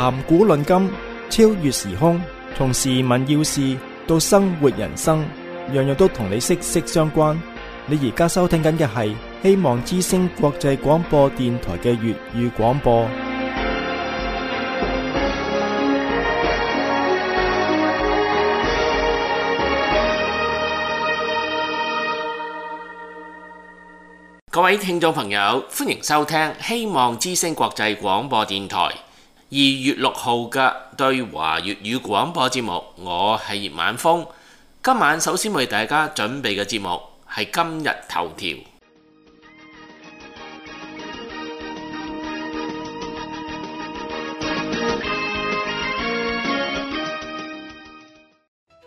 談古論今，超越時空，從時聞要事到生活人生，樣樣都同你息息相關。你而家收聽緊嘅係希望之聲國際廣播電台嘅粵語廣播。各位聽眾朋友，歡迎收聽希望之聲國際廣播電台2月6號嘅對華粵語廣播節目。我係葉晚風，今晚首先為大家準備嘅節目係今日頭條。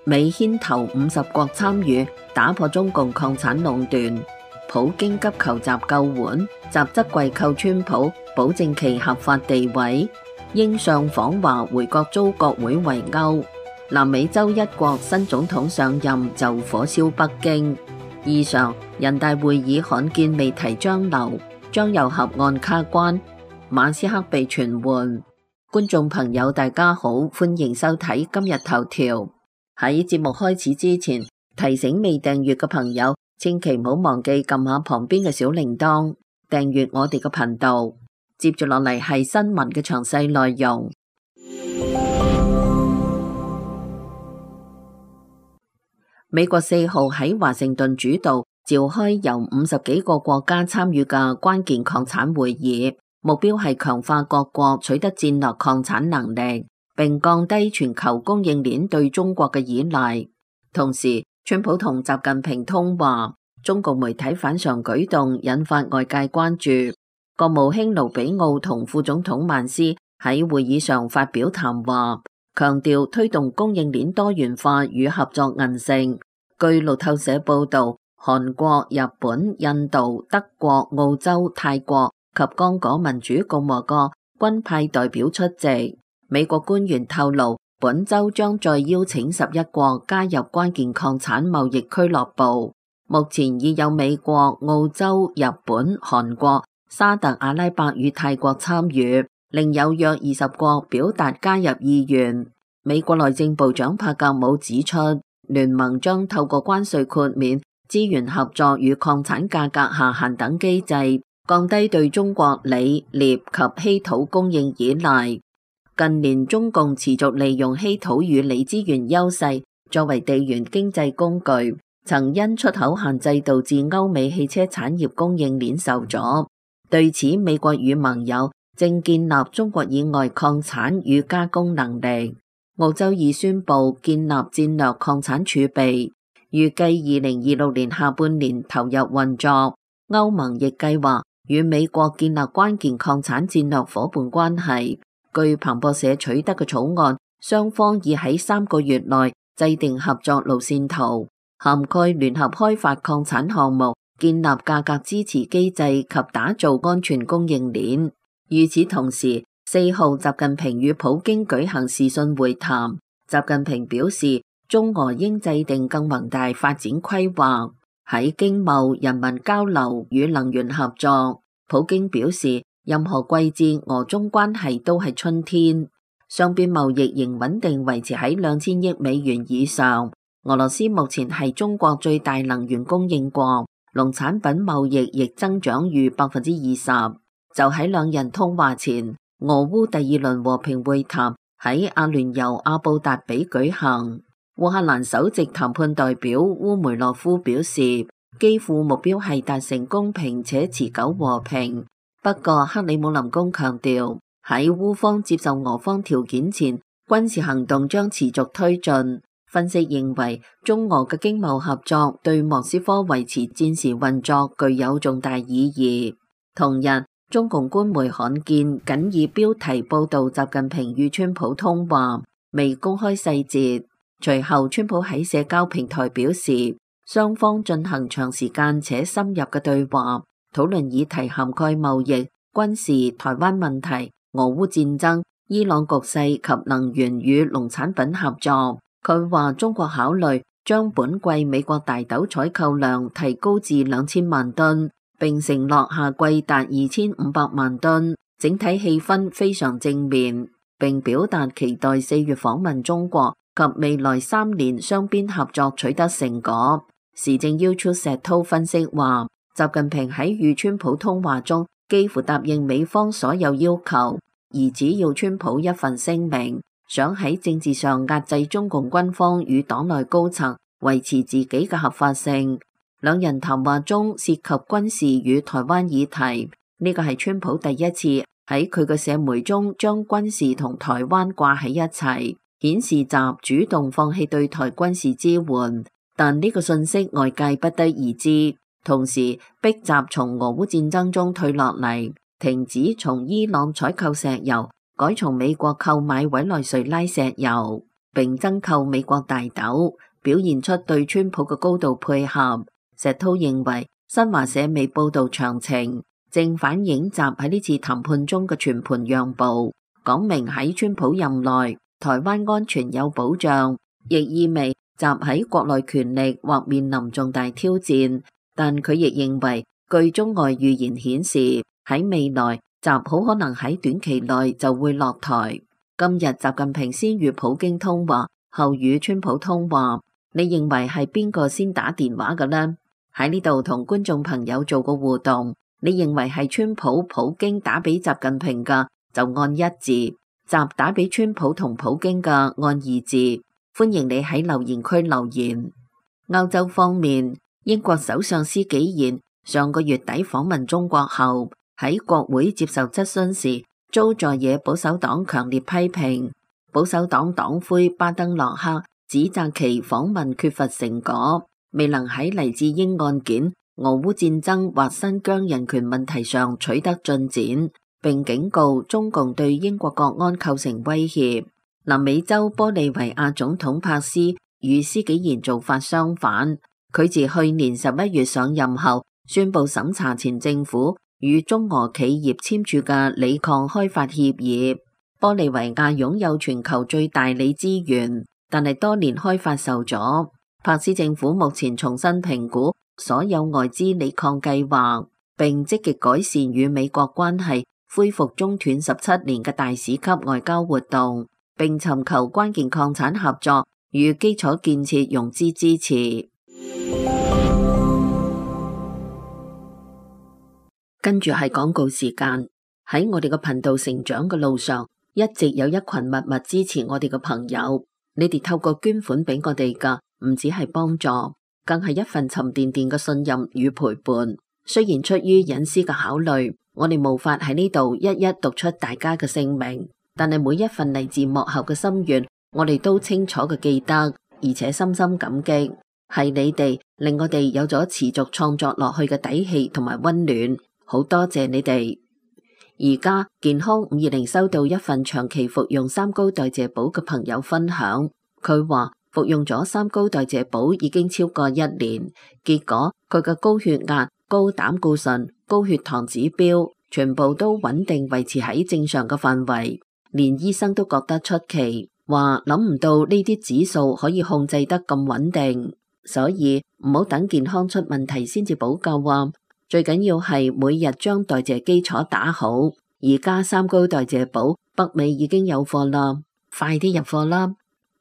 美牽頭50國參與打破中共礦產壟斷，普京急求習救援，習則跪叩川普，保證其合法地位。英相訪華回國遭國會圍毆。南美洲一國新總統上任就火燒北京。以上人大會議罕見未提張流，將由核案卡關。馬斯克被傳喚。觀眾朋友大家好，歡迎收睇今日頭條。喺節目開始之前，提醒未訂閱嘅朋友，千祈唔好忘記撳下旁邊嘅小鈴鐺，訂閱我哋嘅頻道。接住落嚟係新聞嘅詳細內容。美國4號喺華盛頓主導召開由50幾個國家參與嘅關鍵礦產會議，目標係強化各國取得戰略礦產能力，並降低全球供應鏈對中國嘅依賴。同時，川普同習近平通話，中共媒體反常舉動引發外界關注。國務卿盧比奧同副總統曼斯喺會議上發表談話，強調推動供應鏈多元化與合作韌性。據路透社報道，韓國、日本、印度、德國、澳洲、泰國及剛果民主共和國均派代表出席。美國官員透露，本周將再邀請11國加入關鍵礦產貿易俱樂部。目前已有美國、澳洲、日本、韓國、沙特阿拉伯與泰國參與，另有約20國表達加入意願。美國內政部長帕格姆指出，聯盟將透過關稅豁免、資源合作與礦產價格下限等機制，降低對中國鋰、鎳及稀土供應依賴。近年中共持續利用稀土與鋰資源優勢作為地緣經濟工具，曾因出口限制導致歐美汽車產業供應鏈受阻。對此，美國與盟友正建立中國以外礦產與加工能力。澳洲已宣布建立戰略礦產儲備，預計2026年下半年投入運作。歐盟亦計劃與美國建立關鍵礦產戰略夥伴關係。據彭博社取得嘅草案，雙方已喺3個月內制定合作路線圖，涵蓋聯合開發礦產項目、建立價格支持機制及打造安全供應鏈。與此同時，4號習近平與普京舉行視訊會談。習近平表示，中俄應制定更宏大發展規劃，喺經貿、人民交流與能源合作。普京表示，任何季節俄中關係都係春天。雙邊貿易仍穩定維持喺2000億美元以上。俄羅斯目前係中國最大能源供應國，農產品貿易亦增長逾20%。就喺兩人通話前，俄烏第2輪和平會談喺阿聯酋阿布達比舉行。烏克蘭首席談判代表烏梅洛夫表示，基輔目標係達成公平且持久和平。不過，克里姆林宮強調，喺烏方接受俄方條件前，軍事行動將持續推進。分析認為，中俄嘅經貿合作對莫斯科維持戰時運作具有重大意義。同日，中共官媒罕見僅以標題報道習近平與川普通話，未公開細節。隨後，川普喺社交平台表示，雙方進行長時間且深入嘅對話，討論議題涵蓋貿易、軍事、台灣問題、俄烏戰爭、伊朗局勢及能源與農產品合作。佢話中國考慮將本季美國大豆採購量提高至2000萬噸，並承諾下季達2500萬噸，整體氣氛非常正面。並表達期待4月訪問中國及未來3年雙邊合作取得成果。時政要出石濤分析話，習近平喺與川普通話中幾乎答應美方所有要求，而只要川普一份聲明，想喺政治上壓制中共軍方與黨內高層，維持自己嘅合法性。兩人談話中涉及軍事與台灣議題，呢個係川普第一次喺佢嘅社媒中將軍事同台灣掛喺一齊，顯示習主動放棄對台軍事支援。但呢個信息外界不得而知，同時逼習從俄烏戰爭中退落嚟，停止從伊朗採購石油，改從美國購買委內瑞拉石油，並增購美國大豆，表現出對川普嘅高度配合。石濤認為新華社未報道詳情，正反映習喺呢次談判中嘅全盤讓步，講明喺川普任內台灣安全有保障，亦意味習喺國內權力或面臨重大挑戰。但佢亦認為，據中外預言顯示，喺未來習好可能喺短期內就會落台。今日習近平先與普京通話，後與川普通話，你認為係邊個先打電話嘅呢？喺呢度同觀眾朋友做個互動，你認為係川普、普京打俾習近平嘅就按1字，習打俾川普同普京嘅按2字。歡迎你喺留言區留言。歐洲方面，英國首相施紀賢上個月底訪問中國後，喺國會接受質詢時，遭在野保守黨強烈批評。保守黨黨魁巴登洛克指責其訪問缺乏成果，未能喺黎智英案件、俄烏戰爭或新疆人權問題上取得進展，並警告中共對英國國安構成威脅。南美洲玻利維亞總統帕斯與施紀賢做法相反，佢自去年11月上任後，宣布審查前政府與中俄企業簽署嘅鋰礦開發協議。玻利維亞擁有全球最大鋰資源，但係多年開發受阻。帕斯政府目前重新評估所有外資鋰礦計劃，並積極改善與美國關係，恢復中斷17年嘅大使級外交活動，並尋求關鍵礦產合作與基礎建設融資支持。跟住係廣告時間。喺我哋嘅頻道成長嘅路上，一直有一群默默支持我哋嘅朋友。你哋透過捐款俾我哋噶，唔只係幫助，更係一份沉甸甸嘅信任與陪伴。雖然出於隱私嘅考慮，我哋無法喺呢度一一讀出大家嘅姓名，但係每一份嚟自幕後嘅心願，我哋都清楚嘅記得，而且深深感激。係你哋令我哋有咗持續創作落去嘅底氣同埋溫暖，好多謝你哋。而家健康520收到一份長期服用三高代謝寶嘅朋友分享，佢話服用咗三高代謝寶已經超過1年，結果佢嘅高血壓、高膽固醇、高血糖指標全部都穩定維持喺正常嘅範圍，連醫生都覺得出奇，話諗唔到呢啲指數可以控制得咁穩定，所以唔好等健康出問題先至補救啊！最緊要係每日將代謝基礎打好。而家三高代謝寶北美已經有貨啦，快啲入貨啦！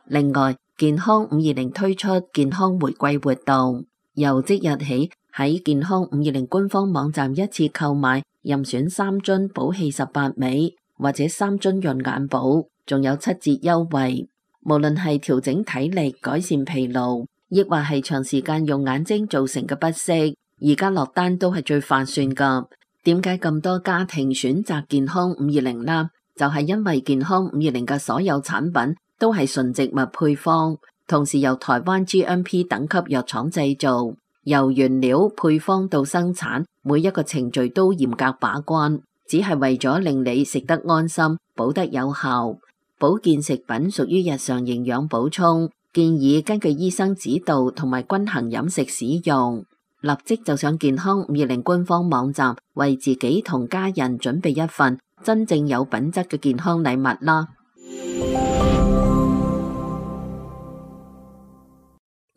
另外，健康520推出健康回饋活動，由即日起喺健康520官方網站一次購買任選3樽寶氣18味或者3樽潤眼寶，仲有7折優惠。無論係調整體力、改善疲勞，亦或係長時間用眼睛造成嘅不適，而家落單都係最划算噶。點解咁多家庭選擇健康520啦？就係因為健康520嘅所有產品都係純植物配方，同時由台灣 GMP 等級藥廠製造，由原料配方到生產，每一個程序都嚴格把關，只係為咗令你食得安心、補得有效。保健食品屬於日常營養補充，建議根據醫生指導同埋均衡飲食使用。立即就上健康520官方網站，為自己同家人準備一份真正有品質嘅健康禮物啦。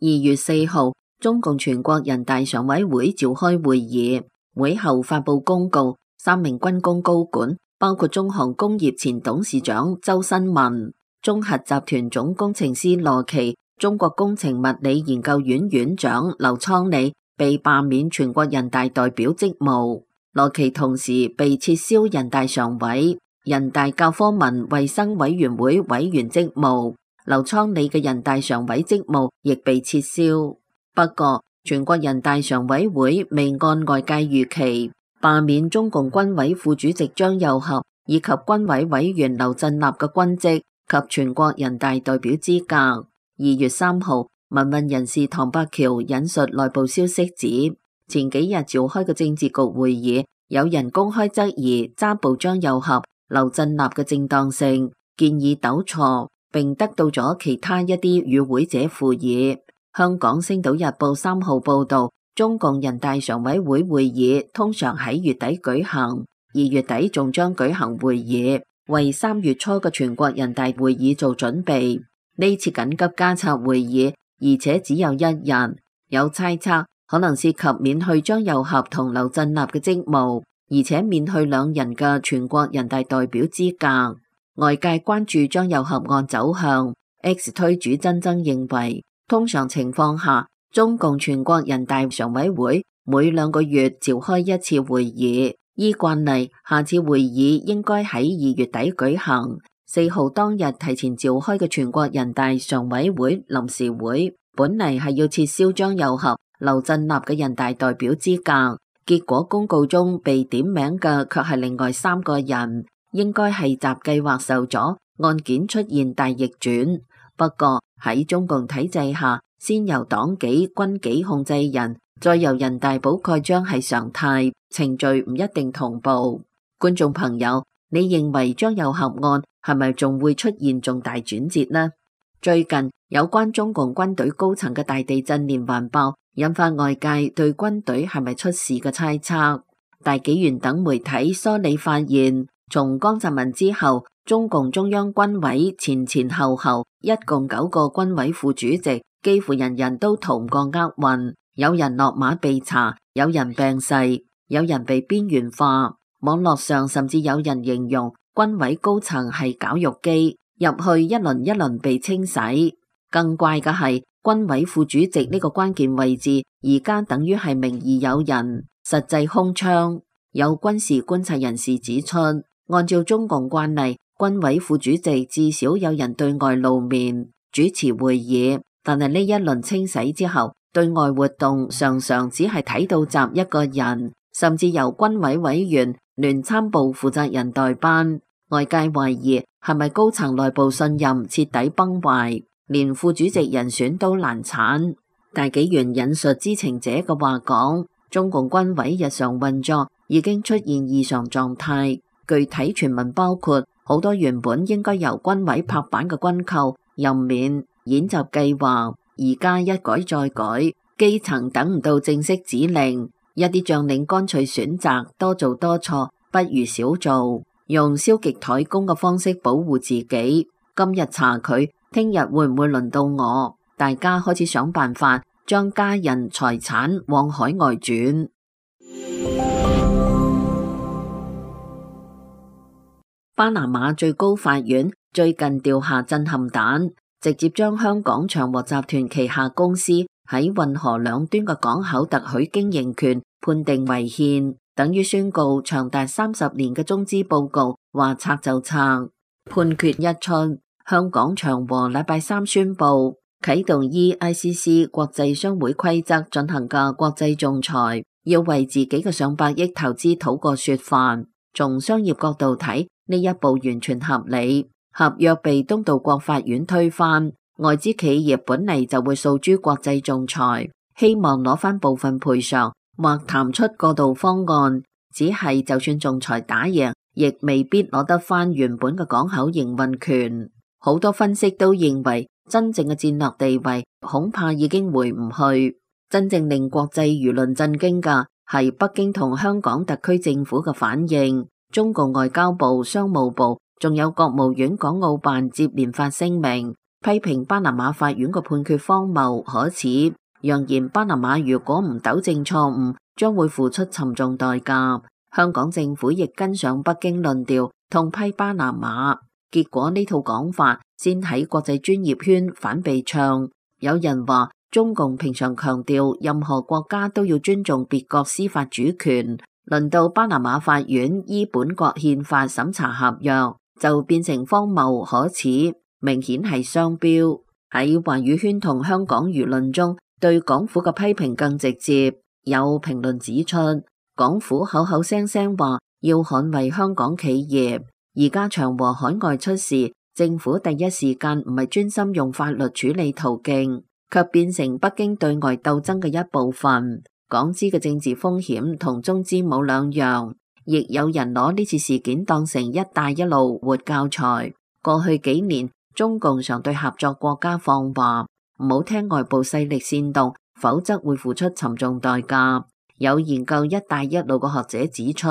2月4號，中共全國人大常委會召開會議，會後發布公告，3名軍工高管包括中航工業前董事長周新文、中核集團總工程師羅奇、中國工程物理研究院院長劉倉里被罷免全國人大代表職務。羅奇同時被撤銷人大常委、人大教科文衛生委員會委員職務，劉倉里嘅人大常委職務亦被撤銷。不過，全國人大常委會未按外界預期罷免中共軍委副主席張又俠以及軍委委員劉振立嘅軍職及全國人大代表資格。2月3號，民運人士唐伯橋引述內部消息指，前幾日召開嘅政治局會議，有人公開質疑揸捕張又俠、劉振立嘅正當性，建議糾錯，並得到咗其他一啲與會者附議。香港星島日報3號報道，中共人大常委會會議通常喺月底舉行，2月底仲將舉行會議，為3月初嘅全國人大會議做準備。呢次緊急加策會議，而且只有1日，有猜測可能涉及免去張又俠同劉振立嘅職務，而且免去兩人嘅全國人大代表資格。外界關注張又俠案走向。X 推主珍珍認為，通常情況下，中共全國人大常委會每2個月召開一次會議，依慣例，下次會議應該喺2月底舉行。4號當日提前召開嘅全國人大常委會臨時會，本嚟係要撤銷張又俠、劉振立嘅人大代表資格，結果公告中被點名嘅卻係另外3個人，應該係習計劃受阻，案件出現大逆轉。不過喺中共體制下，先由黨紀、軍紀控制人，再由人大補蓋章係常態，程序唔一定同步。觀眾朋友，你認為張又俠案係咪仲會出現重大轉折呢？最近有關中共軍隊高層嘅大地震連環爆，引發外界對軍隊係咪出事嘅猜測。大紀元等媒體梳理發現，從江澤民之後，中共中央軍委前前後後一共9個軍委副主席，幾乎人人都逃唔過厄運，有人落馬被查，有人病逝，有人被邊緣化。網絡上甚至有人形容軍委高層係絞肉機，入去一輪一輪被清洗。更怪嘅係，軍委副主席呢個關鍵位置，而家等於係名義有人，實際空窗。有軍事觀察人士指出，按照中共慣例，軍委副主席至少有人對外露面主持會議，但係呢一輪清洗之後，對外活動常常只係睇到習一個人，甚至由軍委委員、聯參部負責人代班。外界懷疑係咪高層內部信任徹底崩壞，連副主席人選都難產。大紀元引述知情者嘅話講，中共軍委日常運作已經出現異常狀態，具體傳聞包括好多原本應該由軍委拍板嘅軍購、任免、演習計劃，而家一改再改，基層等唔到正式指令，一啲將領乾脆選擇多做多錯，不如少做，用消極怠工嘅方式保護自己。今日查佢，聽日會唔會輪到我？大家開始想辦法將家人財產往海外轉。巴拿馬最高法院最近掉下震撼彈，直接將香港長和集團旗下公司喺運河兩端嘅港口特許經營權判定違憲，等於宣告長達30年嘅中資報告話拆就拆。判決一出，香港長和禮拜3宣布啟動依 ICC 國際商會規則進行嘅國際仲裁，要為自己嘅上百億投資討個說法。從商業角度睇，呢一步完全合理。合約被東道國法院推翻，外資企業本嚟就會訴諸國際仲裁，希望攞翻部分賠償或談出過渡方案。只係就算仲裁打贏，亦未必攞得翻原本嘅港口營運權。好多分析都認為，真正嘅戰略地位恐怕已經回唔去。真正令國際輿論震驚嘅係北京同香港特區政府嘅反應。中共外交部、商務部仲有國務院港澳辦接連發聲明，批評巴拿馬法院嘅判決荒謬可恥，揚言巴拿馬如果唔糾正錯誤，將會付出沉重代價。香港政府亦跟上北京論調，痛批巴拿馬。結果呢套講法先喺國際專業圈反被唱。有人話中共平常強調任何國家都要尊重別國司法主權，輪到巴拿馬法院依本國憲法審查合約，就變成荒謬可恥，明顯係雙標。喺華語圈同香港輿論中，對港府嘅批評更直接。有評論指出，港府口口聲聲話要捍衛香港企業，而家長和海外出事，政府第一時間唔係專心用法律處理途徑，卻變成北京對外鬥爭嘅一部分。港資嘅政治風險同中資冇兩樣，亦有人攞呢次事件當成一帶一路活教材。過去幾年，中共常對合作國家放話，唔好聽外部勢力煽動，否則會付出沉重代價。有研究一帶一路嘅學者指出，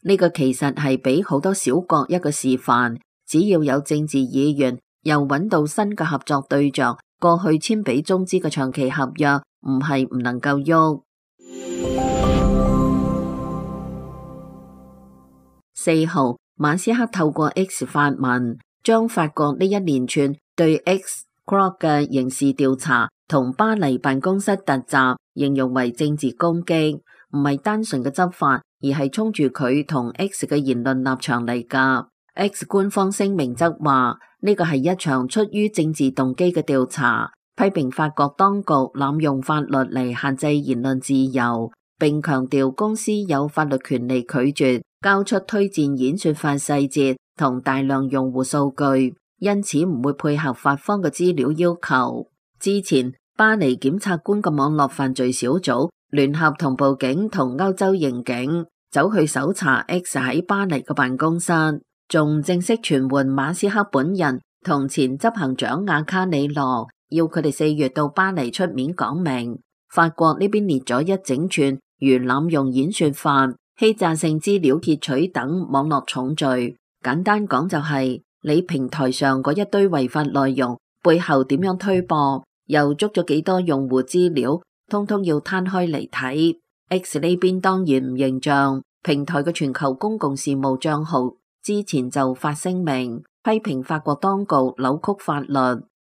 呢個其實係俾好多小國一個示範，只要有政治意願，又揾到新嘅合作對象，過去簽俾中資嘅長期合約唔係唔能夠喐。4號，馬斯克透過 X 發文，將法國呢一連串對 X Corp 嘅刑事調查同巴黎辦公室突襲形容為政治攻擊，唔係單純嘅執法，而係衝住佢同 X 嘅言論立場嚟㗎。X 官方聲明則話呢個係一場出於政治動機嘅調查，批評法國當局濫用法律嚟限制言論自由，並強調公司有法律權利拒絕交出推薦演說法細節同大量用戶數據，因此唔會配合法方嘅資料要求。之前巴黎檢察官嘅網絡犯罪小組聯合同步警同歐洲刑警走去搜查 X 喺巴黎嘅辦公室，仲正式傳喚馬斯克本人同前執行長亞卡里羅，要佢哋4月到巴黎出面講明。法國呢邊列咗一整串如濫用演說法、欺詐性資料竊取等網絡重罪。簡單講就係你平台上嗰一堆違法內容背後點樣推播，又捉咗幾多用戶資料，通通要攤開嚟睇。X 呢邊當然唔認賬，平台嘅全球公共事務賬號之前就發聲明批評法國當局扭曲法律，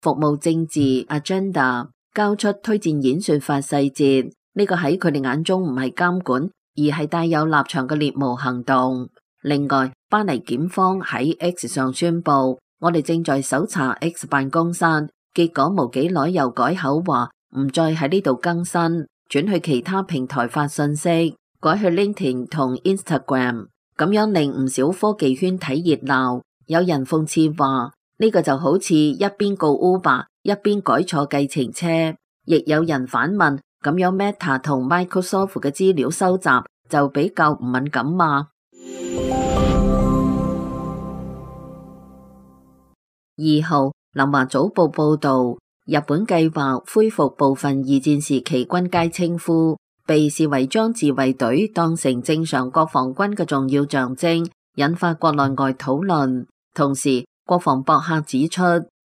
服務政治 agenda， 交出推薦演說法細節。呢個喺佢哋眼中唔係監管，而係帶有立場嘅獵巫行動。另外，巴黎檢方喺 X 上宣布，我哋正在搜查 X 辦公室，結果冇幾耐又改口話唔再喺呢度更新，轉去其他平台發信息，改去 LinkedIn 同 Instagram， 咁樣令唔少科技圈睇熱鬧。有人諷刺話呢個就好似一邊告 Uber 一邊改錯計程車，亦有人反問，咁樣 Meta 同 Microsoft 嘅資料收集就比較唔敏感嘛？2號，南華早報報道，日本計劃恢復部分二戰時期軍階稱呼，被視為將自衛隊當成正常國防軍嘅重要象徵，引發國內外討論。同時，國防博客指出，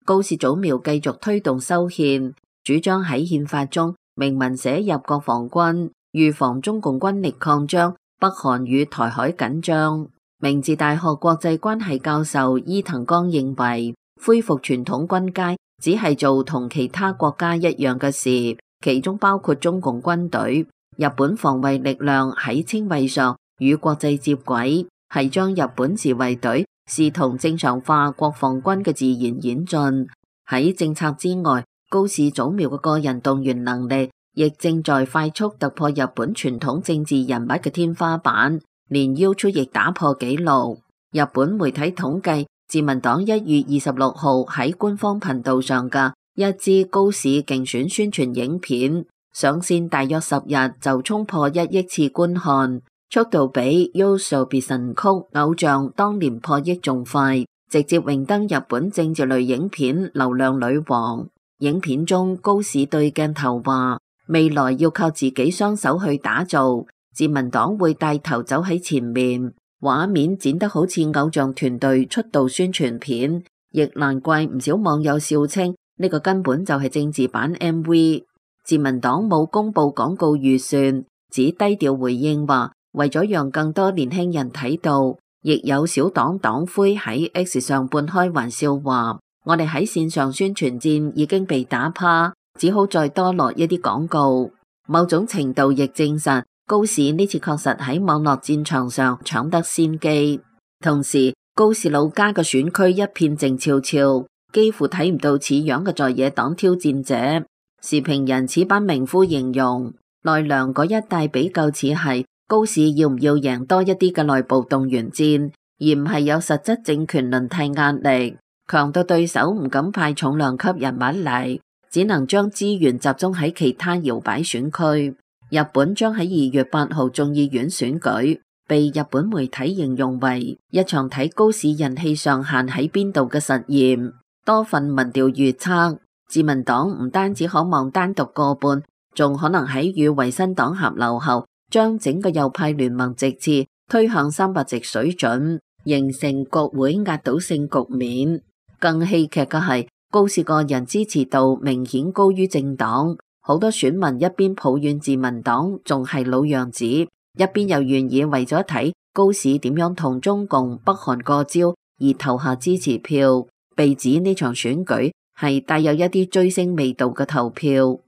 高市早苗繼續推動修憲，主張喺憲法中明文寫入國防軍，預防中共軍力擴張，北韓與台海緊張。明治大學國際關係教授伊藤剛認為，恢復傳統軍階只係做同其他國家一樣嘅事，其中包括中共軍隊。日本防衛力量喺稱謂上與國際接軌，係將日本自衛隊視同正常化國防軍嘅自然演進。喺政策之外，高市早苗嘅個人動員能力亦正在快速突破日本傳統政治人物嘅天花板，連 YouTube 亦打破紀錄。日本媒體統計，自民黨1月26號喺官方頻道上嘅一支高市競選宣傳影片上線大約10日就衝破1億次觀看，速度比 YOASOBI 別神曲偶像當年破億仲快，直接榮登日本政治類影片流量女王。影片中高市對鏡頭話，未來要靠自己雙手去打造，自民黨會帶頭走喺前面。畫面剪得好似偶像團隊出道宣傳片，亦難怪唔少網友笑稱呢個根本就係政治版 MV。自民黨冇公布廣告預算，只低調回應話為咗讓更多年輕人睇到，亦有小黨黨魁喺 X 上半開玩笑話：我哋喺線上宣傳戰已經被打趴，只好再多落一啲廣告。某種程度亦證實高市呢次確實喺網絡戰場上搶得先機。同時，高市老家嘅選區一片靜悄悄，幾乎睇唔到似樣嘅在野黨挑戰者。時評人此版名夫形容，奈良嗰一帶比較似係高市要唔要贏多一啲嘅內部動員戰，而唔係有實質政權輪替壓力，強到對手唔敢派重量級人物嚟，只能將資源集中喺其他搖擺選區。日本將喺2月8號眾議院選舉，被日本媒體形容為一場睇高市人氣上限喺邊度嘅實驗。多份民調預測，自民黨唔單止可望單獨過半，仲可能喺與維新黨合流後，將整個右派聯盟席次推向300席水準，形成國會壓倒性局面。更戲劇嘅係，高市個人支持度明顯高於政黨，好多選民一邊抱怨自民黨仲係老樣子，一邊又願意為咗睇高市點樣同中共北韓過招而投下支持票，被指呢場選舉係帶有一啲追星味道嘅投票。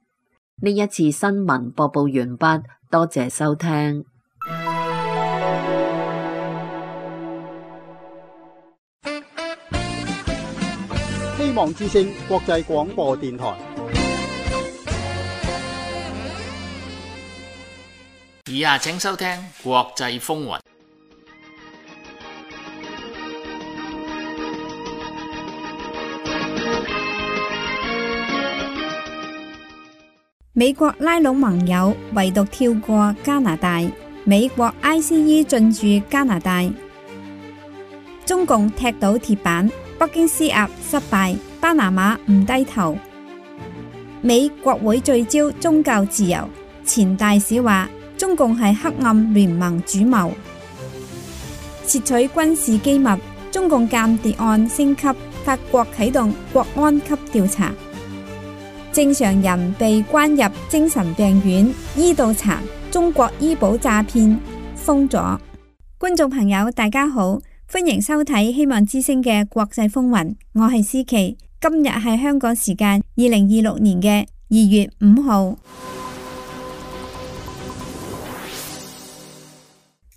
呢一次新聞播報完畢，多謝收聽。希望之聲國際廣播電台。以下請收聽國際風雲。美國拉攏盟友，唯獨跳過加拿大。美國 ICE 進駐加拿大。中共踢倒鐵板，北京施壓失敗，巴拿馬唔低頭。美國會聚焦宗教自由，前大使話中共係黑暗聯盟主謀。竊取軍事機密，中共間諜案升級，法國啟動國安級調查。正常人被關入精神病院，醫到殘。中國醫保詐騙封咗。觀眾朋友大家好，歡迎收睇希望之聲嘅國際風雲，我係思琪。今日係香港時間2026年嘅2月5號。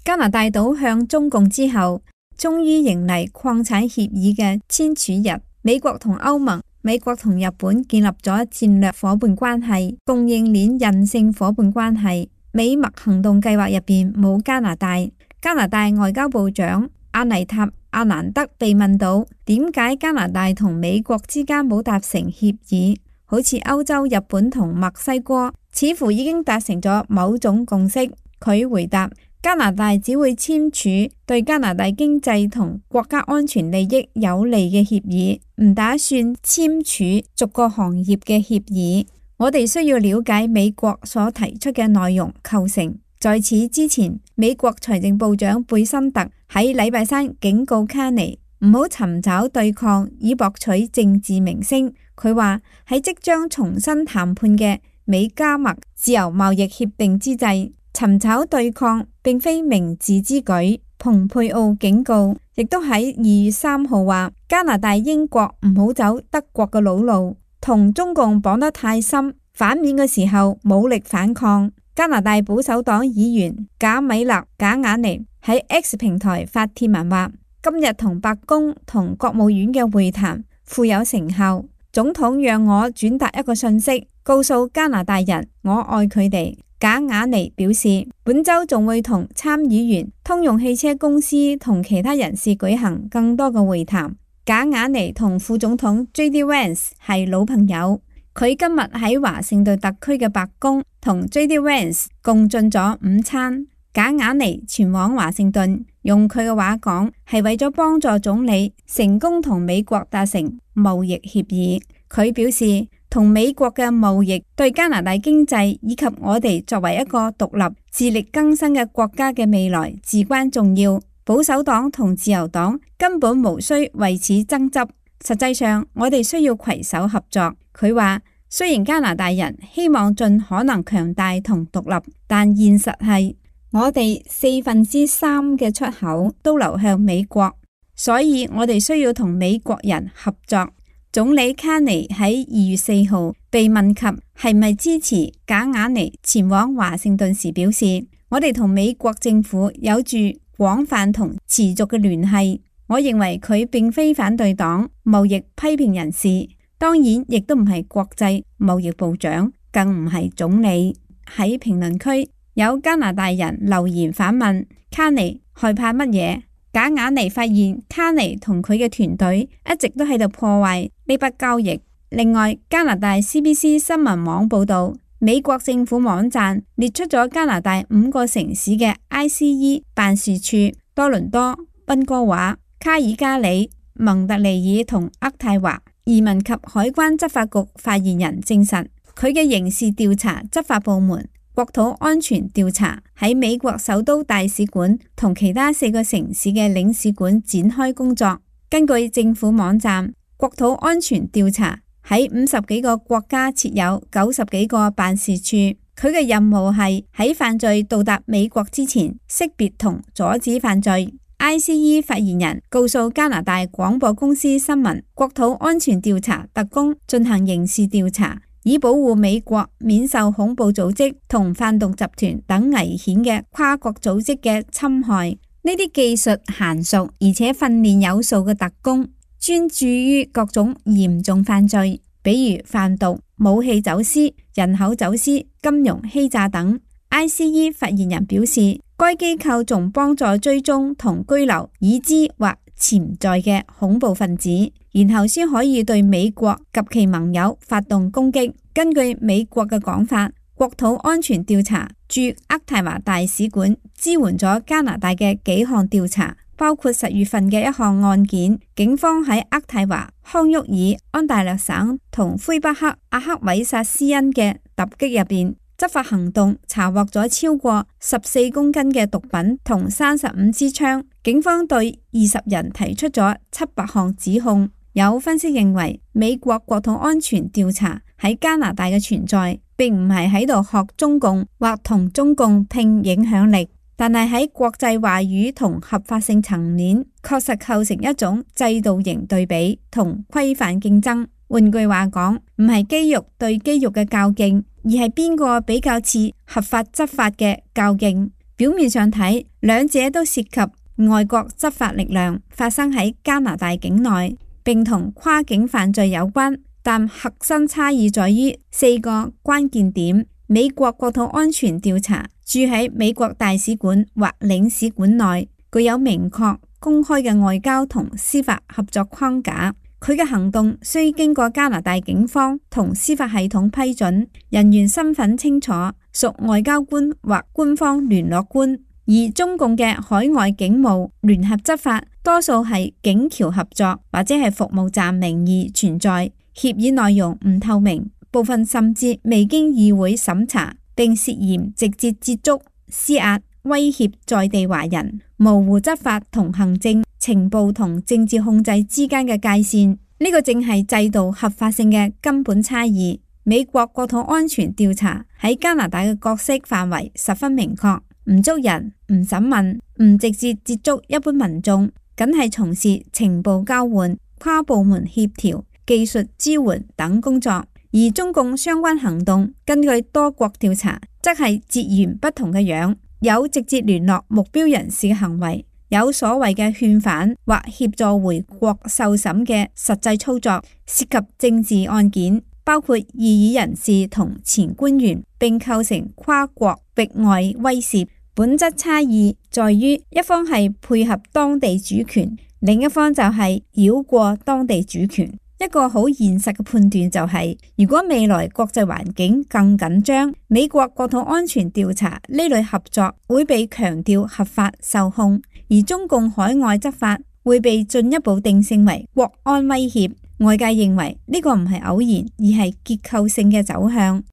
加拿大倒向中共之後，終於迎嚟礦產協議嘅簽署日。美國同歐盟、美國同日本建立咗戰略夥伴關係、供應鏈韌性夥伴關係。美墨行動計劃入邊冇加拿大。加拿大外交部長阿尼塔·阿蘭德被問到點解加拿大同美國之間冇達成協議，好似歐洲、日本同墨西哥似乎已經達成咗某種共識。佢回答：加拿大只會簽署對加拿大經濟同國家安全利益有利嘅協議，唔打算簽署逐個行業嘅協議。我哋需要了解美國所提出嘅內容構成。在此之前，美國財政部長貝森特喺禮拜三警告卡尼唔好尋找對抗以博取政治名聲。佢話喺即將重新談判嘅美加墨自由貿易協定之際，尋找對抗並非明智之舉。蓬佩奧警告，亦都喺2月3號話加拿大、英國唔好走德國嘅老路，同中共綁得太深，反面嘅時候武力反抗。加拿大保守黨議員賈米勒·賈雅尼喺 X 平台發帖文話，今日同白宮同國務院嘅會談富有成效。總統讓我轉達一個信息，告訴加拿大人我愛佢哋。賈雅尼表示，本周仲會同參議員、通用汽車公司同其他人士舉行更多嘅會談。賈雅尼同副總統 J.D. Vance 係老朋友，佢今日喺華盛頓特區嘅白宮同 J.D. Vance 共進咗午餐。賈雅尼前往華盛頓，用佢嘅話講，係為咗幫助總理成功同美國達成貿易協議。佢表示，同美國嘅貿易對加拿大經濟以及我哋作為一個獨立、自力更生嘅國家嘅未來至關重要。保守黨同自由黨根本無需為此爭執，實際上我哋需要攜手合作。佢話，雖然加拿大人希望盡可能強大同獨立，但現實係我哋3/4嘅出口都流向美國，所以我哋需要同美國人合作。總理卡尼喺2月4號被問及係咪支持賈雅尼前往華盛頓時表示，我哋同美國政府有住廣泛同持續嘅聯繫。我認為佢並非反對黨貿易批評人士，當然亦都唔係國際貿易部長，更唔係總理。喺評論區有加拿大人留言反問卡尼害怕乜嘢？賈雅尼發現卡尼同佢嘅團隊一直都喺度破壞呢筆交易。另外，加拿大 CBC 新聞網報道，美國政府網站列出咗加拿大5個城市嘅 ICE 辦事處：多倫多、溫哥華、卡爾加里、蒙特利爾同渥太華。移民及海關執法局發言人證實，佢嘅刑事調查執法部門國土安全調查喺美國首都大使館同其他4個城市嘅領事館展開工作。根據政府網站，國土安全調查喺50幾個國家設有90幾個辦事處。佢嘅任務係喺犯罪到達美國之前識別同阻止犯罪。ICE 發言人告訴加拿大廣播公司新聞，國土安全調查特工進行刑事調查，以保護美國免受恐怖組織同販毒集團等危險嘅跨國組織嘅侵害。呢啲技術嫻熟而且訓練有素嘅特工，專注於各種嚴重犯罪，比如販毒、武器走私、人口走私、金融欺詐等。ICE 發言人表示，該機構仲幫助追蹤同拘留已知或潛在嘅恐怖分子，然後先可以對美國及其盟友發動攻擊。根據美國嘅講法，國土安全調查駐渥太華大使館支援咗加拿大嘅幾項調查，包括10月份嘅一項案件，警方喺渥太華、康沃爾、安大略省同魁北克阿克韋薩斯恩嘅突擊入邊，執法行動查獲咗超過14公斤嘅毒品同35支槍。警方對20人提出咗700項指控。有分析認為，美國國土安全調查喺加拿大嘅存在，並唔係喺度學中共或同中共拼影響力，但係喺國際話語同合法性層面，確實構成一種制度型對比同規範競爭。換句話講，唔係肌肉對肌肉嘅較勁，而係邊個比較似合法執法嘅較勁。表面上睇，兩者都涉及外國執法力量發生喺加拿大境內，並同跨境犯罪有關，但核心差異在於4個關鍵點。美國國土安全調查駐喺美國大使館或領事館內，具有明確公開嘅外交同司法合作框架。佢嘅行動需經過加拿大警方同司法系統批准，人員身份清楚，屬外交官或官方聯絡官。而中共嘅海外警務聯合執法多數係警僑合作或者係服務站名義存在，協議內容唔透明，部分甚至未經議會審查，並涉嫌直接接觸、施壓、威脅在地華人，模糊執法同行政、情報同政治控制之間嘅界線。呢個正係制度合法性嘅根本差異。美國國土安全調查喺加拿大嘅角色範圍十分明確，唔捉人、唔審問、唔直接接觸一般民眾，僅係從事情報交換、跨部門協調、技術支援等工作。而中共相關行動，根據多國調查，則係截然不同嘅樣，有直接聯絡目標人士嘅行為，有所謂嘅勸返或協助回國受審嘅實際操作，涉及政治案件，包括異議人士同前官員，並構成跨國域外威懾。本質差異在於一方係配合當地主權，另一方就係繞過當地主權。一個好現實嘅判斷就係，如果未來國際環境更緊張，美國國土安全調查呢類合作會被強調合法受控，而中共海外執法會被進一步定性為國安威脅。外界認為呢個唔係偶然，而係結構性嘅走向。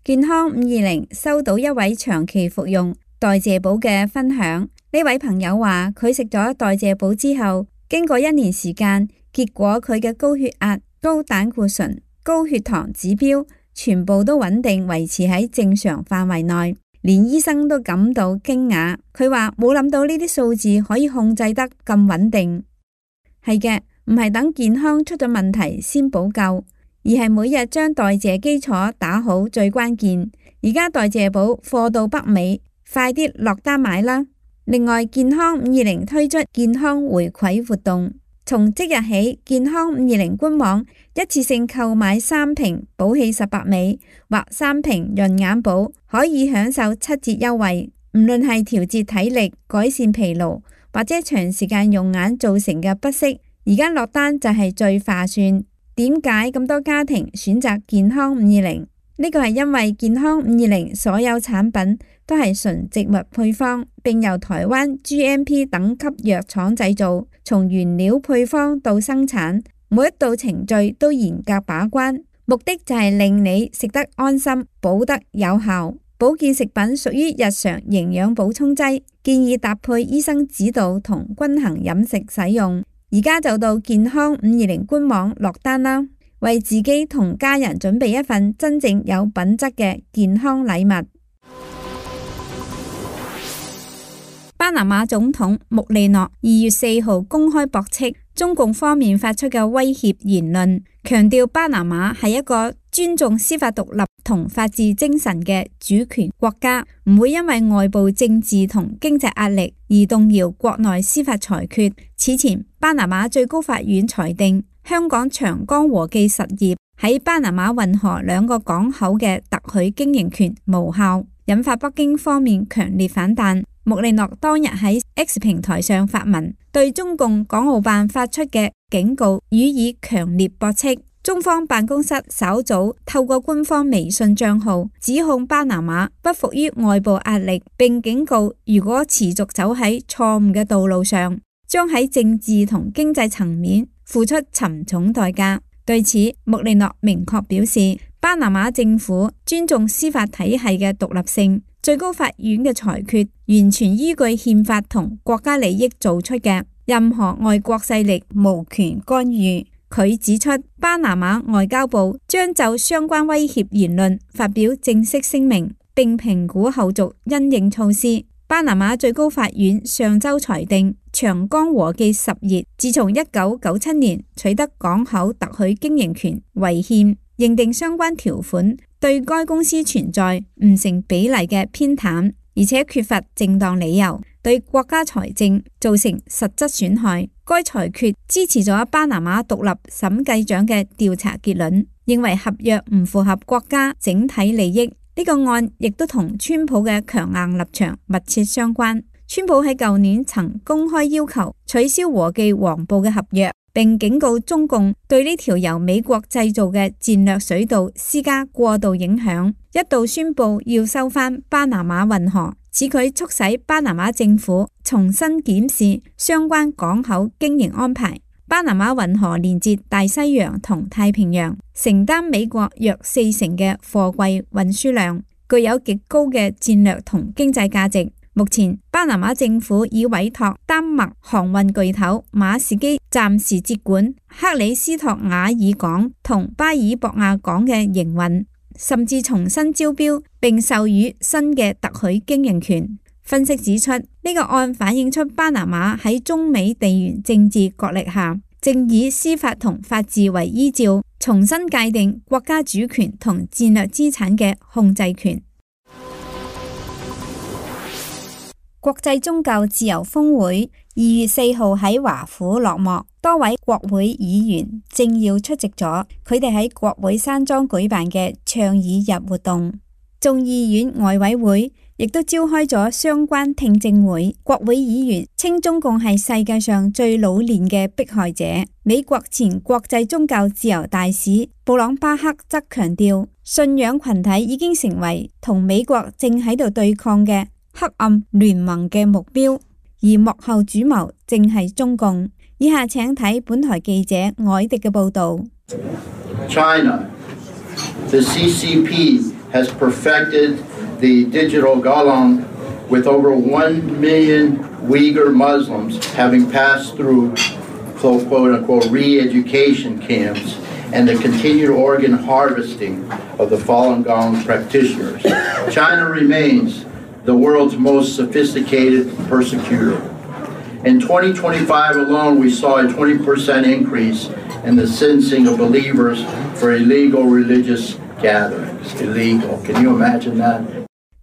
健康520收到一位長期服用代謝寶嘅分享，呢位朋友話佢食咗代謝寶之後，經過1年時間，結果佢嘅高血壓、高膽固醇、高血糖指標全部都穩定維持喺正常範圍內，連醫生都感到驚訝。佢話冇諗到呢啲數字可以控制得咁穩定。係嘅，唔係等健康出咗問題先補救，而係每日將代謝基礎打好最關鍵。而家代謝寶貨到北美，快啲落單買啦！另外，健康520推出健康回饋活動，從即日起，健康520官網一次性購買3瓶寶氣18美或3瓶潤眼寶，可以享受7折優惠。唔論係調節體力、改善疲勞或者長時間用眼造成嘅不適，而家落單就係最划算。點解咁多家庭選擇健康520？呢個係因為健康520所有產品都係純植物配方，並由台灣 GMP 等級藥廠製造，從原料配方到生產，每一道程序都嚴格把關，目的就係令你食得安心，補得有效。保健食品屬於日常營養補充劑，建議搭配醫生指導同均衡飲食使用。而家就到健康520官網落單啦！為自己同家人準備一份真正有品質嘅健康禮物。巴拿馬總統穆利諾2月4號公開駁斥中共方面發出嘅威脅言論，強調巴拿馬係一個尊重司法獨立同法治精神嘅主權國家，唔會因為外部政治同經濟壓力而動搖國內司法裁決。此前，巴拿馬最高法院裁定香港長江和記實業喺巴拿馬運河2個港口嘅特許經營權無效，引發北京方面強烈反彈。穆利諾當日喺 X 平台上發文，對中共港澳辦發出嘅警告予以強烈駁斥。中方辦公室稍早透過官方微信賬號指控巴拿馬不服於外部壓力，並警告如果持續走喺錯誤嘅道路上，將喺政治同經濟層面付出沉重代價。對此，穆利諾明確表示，巴拿馬政府尊重司法體系嘅獨立性，最高法院嘅裁決完全依據憲法同國家利益做出嘅，任何外國勢力無權干預。佢指出，巴拿馬外交部將就相關威脅言論發表正式聲明，並評估後續因應措施。巴拿馬最高法院上周裁定，長江和記實業自從1997年取得港口特許經營權違憲，認定相關條款對該公司存在唔成比例嘅偏袒，而且缺乏正當理由，對國家財政造成實質損害。該裁決支持咗巴拿馬獨立審計長嘅調查結論，認為合約唔符合國家整體利益。呢個案亦都同川普嘅強硬立場密切相關。川普喺舊年曾公開要求取消和記黃埔嘅合約，並警告中共對呢條由美國製造嘅戰略水道施加過度影響，一度宣布要收返巴拿馬運河。此舉促使巴拿馬政府重新檢視相關港口經營安排。巴拿馬運河連接大西洋同太平洋，承擔美國約40%嘅貨櫃運輸量，具有極高嘅戰略同經濟價值。目前，巴拿馬政府已委託丹麥航運巨頭馬士基暫時接管克里斯托瓦爾港同巴爾博亞港嘅營運，甚至重新招標並授予新嘅特許經營權。分析指出，呢個案反映出巴拿馬喺中美地緣政治角力下，正以司法同法治為依照，重新界定國家主權同戰略資產嘅控制權。國際宗教自由峰會2月4號喺華府落幕，多位國會議員政要出席咗佢哋喺國會山莊舉辦嘅倡議日活動。眾議院外委會亦都召開咗相關聽證會。國會議員稱中共係世界上最老練嘅迫害者。美國前國際宗教自由大使布朗巴克則強調，信仰群體已經成為同美國正喺度對抗嘅黑暗聯盟嘅目標，而幕後主謀正係中共。以下請睇本台記者凱迪嘅報道。China, the CCP has perfected the digital Galang with over 1 million Uyghur Muslims having passed through quote-unquote re-education camps and the continued organ harvesting of the Falun Gong practitioners. China remains the world's most sophisticated persecutor. In 2025 alone, we saw a 20% increase in the sentencing of believers for illegal religious gatherings. Illegal. Can you imagine that?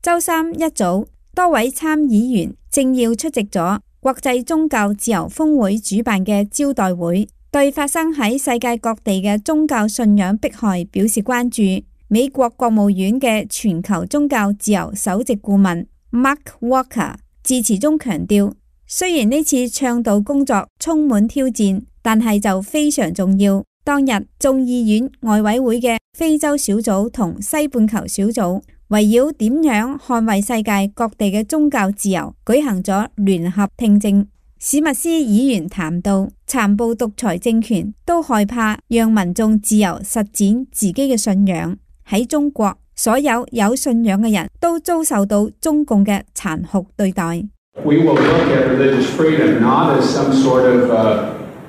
週三一早，多位參議員政要出席咗國際宗教自由峰會主辦嘅招待會，對發生喺世界各地嘅宗教信仰迫害表示關注。美國國務院嘅全球宗教自由首席顧問 Mark Walker 致辭中強調，雖然呢次倡導工作充滿挑戰，但係就非常重要。當日眾議院外委會嘅非洲小組同西半球小組圍繞點樣捍衛世界各地嘅宗教自由舉行咗聯合聽證。史密斯議員談到，殘暴獨裁政權都害怕讓民眾自由實踐自己嘅信仰。喺中國，所有信仰嘅人都遭受到中共嘅殘酷對待。We will look at religious freedom not as some sort of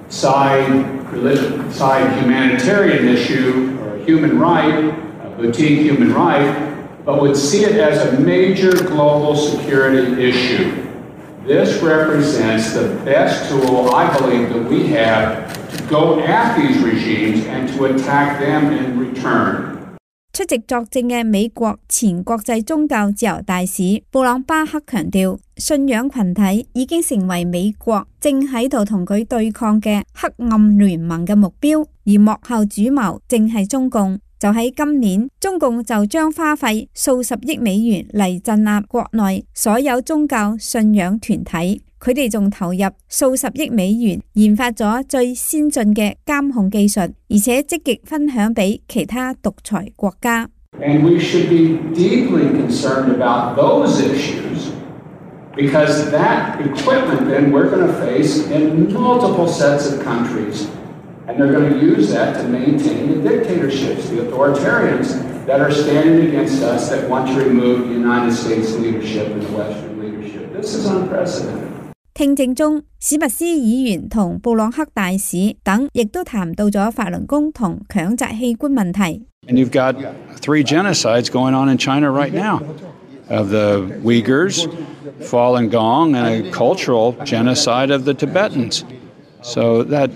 side humanitarian issue or a human right, a boutique human right, but would see it as a major global security issue. This represents the best tool, I believe, that we have to go at these regimes and to attack them in return. 出席作證嘅美國前國際宗教自由大使布朗巴克強調，信仰群體已經成為美國正喺度同佢對抗嘅黑暗聯盟嘅目標，而幕後主謀正係中共。就喺今年，中共就將花費數十億美元嚟鎮壓國內所有宗教信仰團體，佢哋仲投入數十億美元研發咗最先進嘅監控技術，而且積極分享俾其他獨裁國家。And we should be deeply concerned about those issues because that equipment then we're going to face in multiple sets of countries. And they're going to use that to maintain the dictatorships, the authoritarians that are standing against us that want to remove the United States leadership and the Western leadership. This is unprecedented. 聽證中，史密斯議員同布朗克大使等亦都談到咗法輪功同強摘器官問題。And you've got 3 genocides going on in China right now of the Uyghurs, Falun Gong, and a cultural genocide of the Tibetans. So that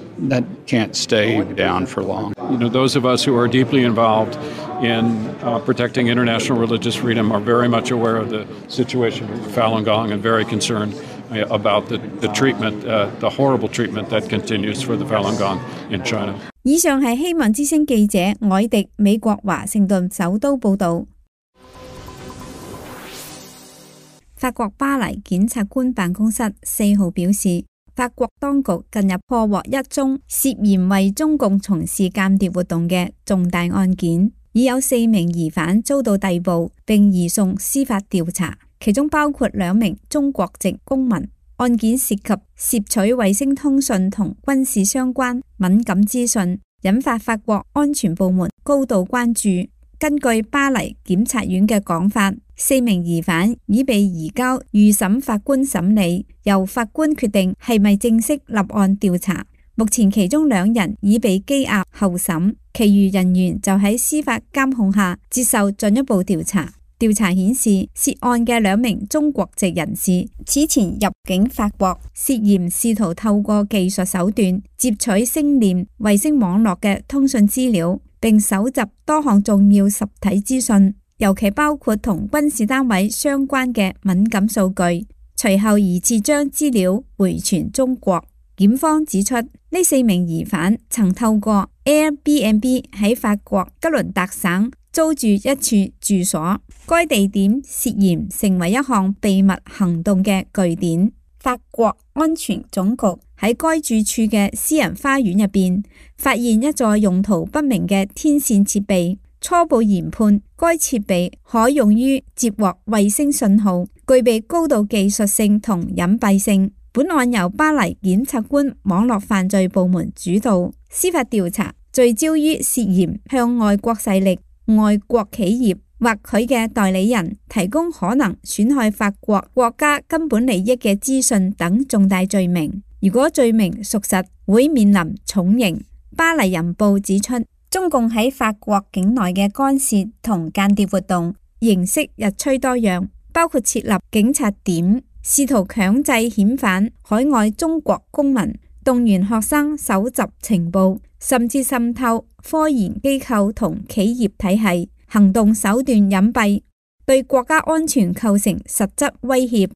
can't stay down for long. You know, those of us who are deeply involved in protecting international religious freedom are very much aware of the situation of Falun Gong and very concerned about the treatment, the horrible treatment that continues for the Falun Gong in China. 以上係希望之聲記者凱迪美國華盛頓首都報導。法國巴黎檢察官辦公室4號表示，法國當局近日破獲一宗涉嫌為中共從事間諜活動嘅重大案件，已有4名疑犯遭到逮捕並移送司法調查，其中包括2名中國籍公民。案件涉及竊取衛星通訊同軍事相關敏感資訊，引發法國安全部門高度關注。根據巴黎檢察院嘅講法，4名疑犯已被移交預審法官審理，由法官決定係咪正式立案調查。目前其中2人已被羈押候審，其餘人員就喺司法監控下接受進一步調查。調查顯示，涉案嘅2名中國籍人士此前入境法國，涉嫌試圖透過技術手段接取星鏈衛星網絡嘅通訊資料，並搜集多項重要實體資訊，尤其包括同軍事單位相關嘅敏感數據。隨後疑似將資料回傳中國。檢方指出，呢4名疑犯曾透過 Airbnb 喺法國吉倫特省租住一處住所，該地點涉嫌成為一項秘密行動嘅據點。法國安全總局喺該住處嘅私人花園入邊發現一座用途不明嘅天線設備，初步研判該設備可用於接獲衛星信號，具備高度技術性同隱蔽性。本案由巴黎檢察官網絡犯罪部門主導，司法調查聚焦於涉嫌向外國勢力、外國企業或佢嘅代理人提供可能損害法國國家根本利益嘅資訊等重大罪名。如果罪名屬實，會面臨重刑。巴黎人報指出，中共喺法國境內嘅干涉同間諜活動形式日趨多樣，包括設立警察點，試圖強制遣返海外中國公民，動員學生搜集情報，甚至滲透科研機構同企業體系，行動手段隱蔽，對國家安全構成實質威脅。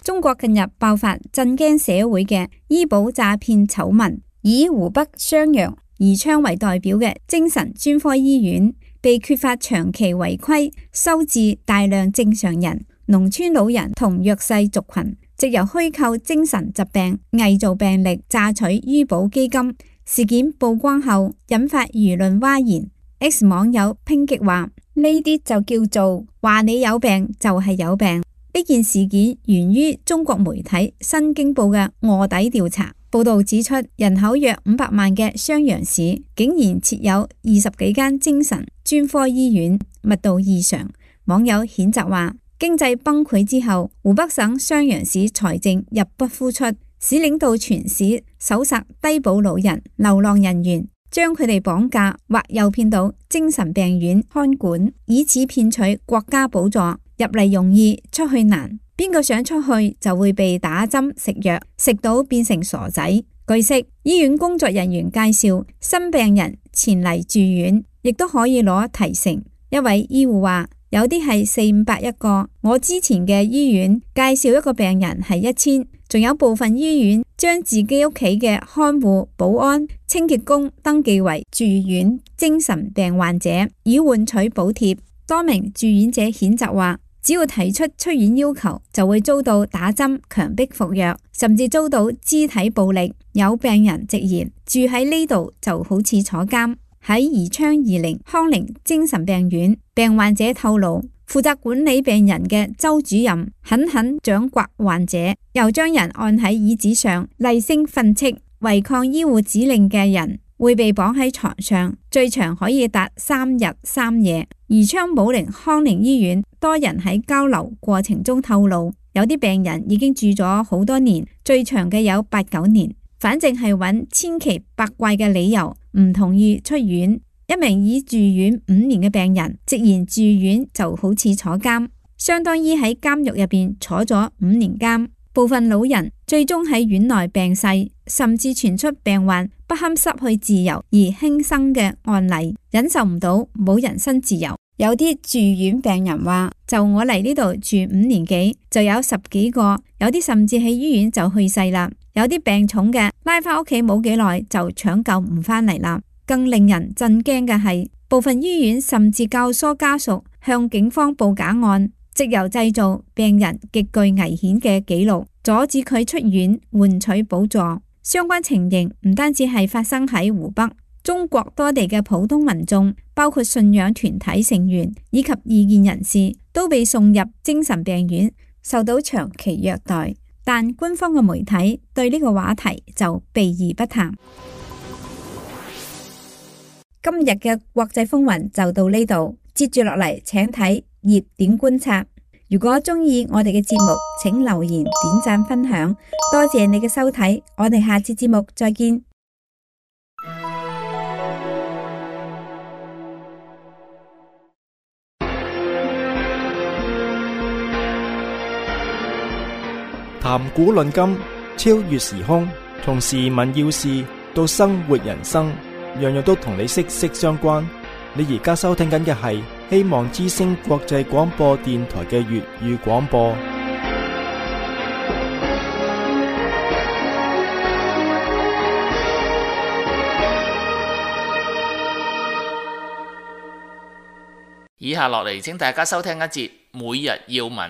中國近日爆發震驚社會嘅醫保詐騙醜聞，以湖北襄陽宜昌為代表嘅精神專科醫院被揭發長期違規收治大量正常人、農村老人同弱勢族群，藉由虛構精神疾病、偽造病歷榨取醫保基金。事件曝光後引發輿論譁然。X 網友抨擊話：呢啲就叫做話你有病就係有病。呢件事件源於中國媒體《新京報》嘅臥底調查。報道指出，人口約500萬嘅襄陽市竟然設有20幾間精神專科醫院，密度異常。網友譴責話：經濟崩潰之後，湖北省襄陽市財政入不敷出，市領導全市搜殺低保老人、流浪人員，將佢哋綁架或誘騙到精神病院看管，以此騙取國家補助。入嚟容易，出去難。邊個想出去就會被打針食藥，食到變成傻仔。據悉，醫院工作人員介紹新病人前嚟住院，亦都可以攞提成。一位醫護話：有啲係400-500一個。我之前嘅醫院介紹一個病人係1000，仲有部分醫院將自己屋企嘅看護、保安、清潔工登記為住院精神病患者，以換取補貼。多名住院者譴責話：只要提出出院要求，就會遭到打針、強迫服藥，甚至遭到肢體暴力。有病人直言，住喺呢度就好似坐監。喺宜昌宜寧康寧精神病院，病患者透露，負責管理病人嘅周主任狠狠掌摑患者，又將人按喺椅子上厲聲訓斥。違抗醫護指令嘅人會被綁喺床上，最長可以達3日3夜。宜昌武寧康寧醫院多人喺交流過程中透露，有啲病人已經住咗好多年，最長嘅有8-9年。反正係揾千奇百怪嘅理由唔同意出院。一名已住院5年嘅病人直言，住院就好似坐監，相當於喺監獄入邊坐咗5年監。部分老人最終喺院內病逝，甚至傳出病患不堪失去自由而輕生嘅案例，忍受唔到冇人身自由。有啲住院病人話：就我嚟呢度住5年幾，就有10幾個，有啲甚至喺醫院就去世啦。有啲病重嘅拉返屋企冇幾耐就搶救唔返嚟啦。更令人震驚嘅係，部分醫院甚至教唆家屬向警方報假案，藉由製造病人極具危險嘅記錄，阻止佢出院換取補助。相關情形唔單止係發生喺湖北，中國多地嘅普通民眾，包括信仰團體成員以及異見人士，都被送入精神病院，受到長期虐待。但官方嘅媒體對呢個話題就避而不談。今日嘅國際風雲就到呢度，接住落嚟請睇熱點觀察。如果中意我哋嘅節目，請留言、點讚、分享，多謝你嘅收睇，我哋下次節目再見。談古論今，超越時空，從時聞要事到生活人生，樣樣都同你息息相關。你而家收聽緊嘅係希望之聲國際廣播電台嘅粵語廣播。以下落嚟，請大家收聽一節每日要聞。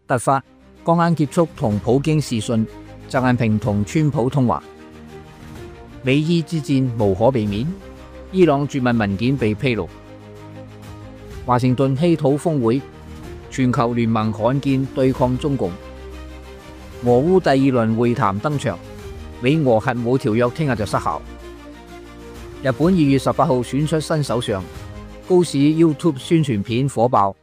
突發，剛啱結束同普京視訊，習近平同川普通話。美伊之戰無可避免，伊朗絕密文件被披露。華盛頓稀土峰會，全球聯盟罕見對抗中共。俄烏第2輪會談登場，美俄核武條約聽日就失效。日本2月18號選出新首相，高市 YouTube 宣傳片火爆。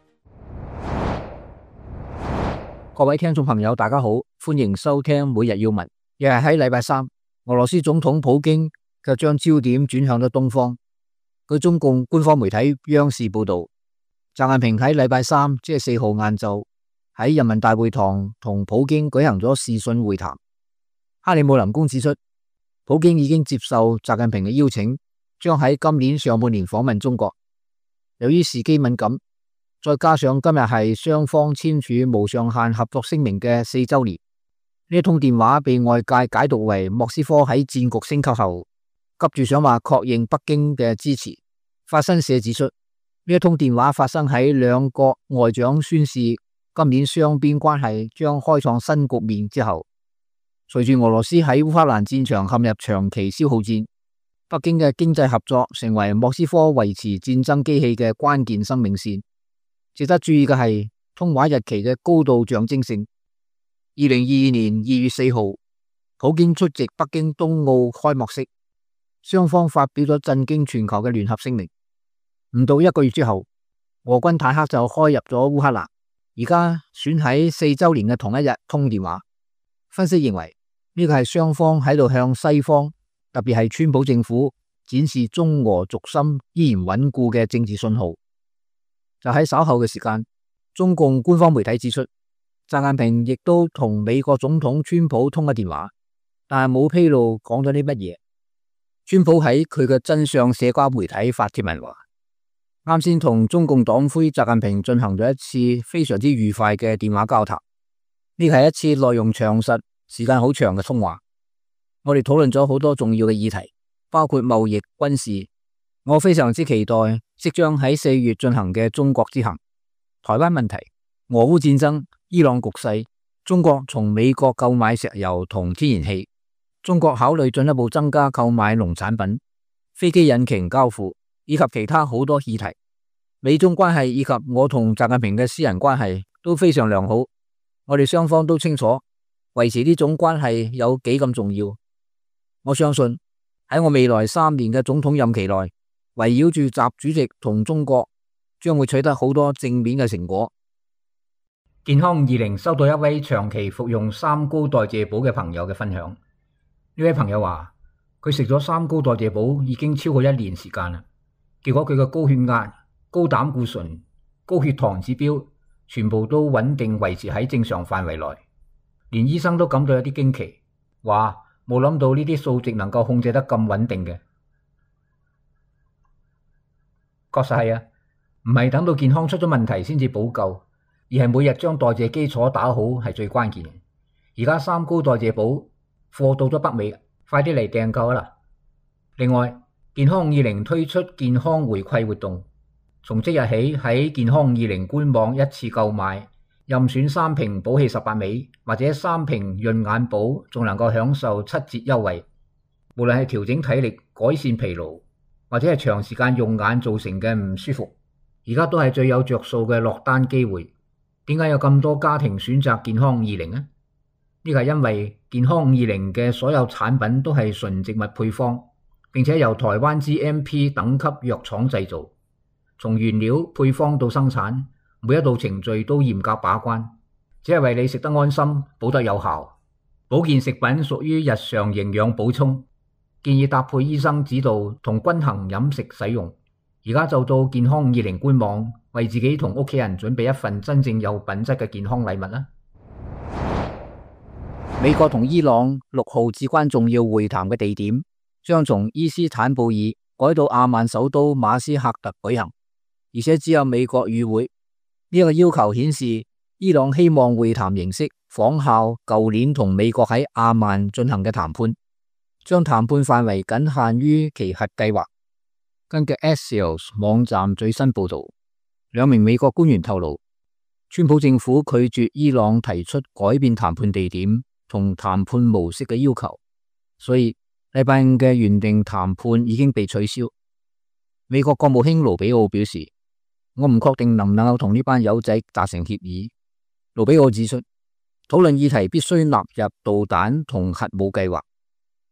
各位聽眾朋友，大家好，歡迎收聽每日要聞。又係喺禮拜三，俄羅斯總統普京就將焦點轉向咗東方。據中共官方媒體央視報道，習近平喺禮拜三即係4號晏晝喺人民大會堂同普京舉行咗視訊會談。克里姆林宮指出，普京已經接受習近平嘅邀請，將喺今年上半年訪問中國。由於時機敏感，再加上今日係雙方簽署無上限合作聲明嘅4週年，呢一通電話被外界解讀為莫斯科喺戰局升級後急住想話確認北京嘅支持。法新社指出，呢一通電話發生喺兩國外長宣示今年雙邊關係將開創新局面之後。隨住俄羅斯喺烏克蘭戰場陷入長期消耗戰，北京嘅經濟合作成為莫斯科維持戰爭機器嘅關鍵生命線。值得注意嘅係通話日期嘅高度象徵性。2022年2月4號，普京出席北京冬奧開幕式，雙方發表咗震驚全球嘅聯合聲明。唔到1個月之後，俄軍坦克就開入咗烏克蘭，而家選喺4週年嘅同一日通電話。分析認為呢個係雙方喺度向西方，特別係川普政府展示中俄軸心依然穩固嘅政治信號。就喺稍後嘅時間，中共官方媒體指出，習近平亦都同美國總統川普通咗電話，但係冇披露講咗啲乜嘢。川普喺佢嘅真相社交媒體發帖文話，啱先同中共黨魁習近平進行咗一次非常之愉快嘅電話交談，呢係一次內容詳實、時間好長嘅通話。我哋討論咗好多重要嘅議題，包括貿易、軍事。我非常之期待即將喺4月進行嘅中國之行、台灣問題、俄烏戰爭、伊朗局勢、中國從美國購買石油同天然氣、中國考慮進一步增加購買農產品、飛機引擎交付以及其他好多議題。美中關係以及我同習近平嘅私人關係都非常良好，我哋雙方都清楚維持呢種關係有幾咁重要。我相信喺我未來3年嘅總統任期內，圍繞住習主席同中國將會取得好多正面嘅成果。健康20收到一位長期服用三高代謝寶嘅朋友嘅分享。呢位朋友話佢食咗三高代謝寶已經超過1年時間啦，結果佢嘅高血壓、高膽固醇、高血糖指標全部都穩定維持喺正常範圍內，連醫生都感到有啲驚奇，話冇諗到呢啲數值能夠控制得咁穩定嘅。確實係啊，唔係等到健康出咗問題先至補救，而係每日將代謝基礎打好係最關鍵嘅。而家三高代謝寶貨到咗北美，快啲嚟訂購啦！另外，健康20推出健康回饋活動，從即日起喺健康20官網一次購買，任選3瓶補氣18味或者3瓶潤眼寶，仲能夠享受7折優惠。無論係調整體力、改善疲勞，或者係長時間用眼造成嘅唔舒服，而家都係最有着數嘅落單機會。點解有咁多家庭選擇健康20呢？呢個係因為健康20嘅所有產品都係純植物配方，並且由台灣 GMP 等級藥廠製造，從原料配方到生產，每一道程序都嚴格把關，只係為你食得安心、補得有效。保健食品屬於日常營養補充，建議搭配醫生指導同均衡飲食使用。而家就到健康20官網，為自己同屋企人準備一份真正有品質嘅健康禮物啦！美國同伊朗6號至關重要會談嘅地點將從伊斯坦布爾改到阿曼首都馬斯喀特舉行，而且只有美國與會。呢個要求顯示伊朗希望會談形式仿效舊年同美國喺阿曼進行嘅談判，將談判範圍僅限於其核計劃。根據 Axios 網站最新報道，2名美國官員透露，川普政府拒絕伊朗提出改變談判地點同談判模式嘅要求，所以禮拜5嘅原定談判已經被取消。美國國務卿盧比奧表示，我唔確定能唔能夠同呢班友仔達成協議。盧比奧指出，討論議題必須納入導彈同核武計劃，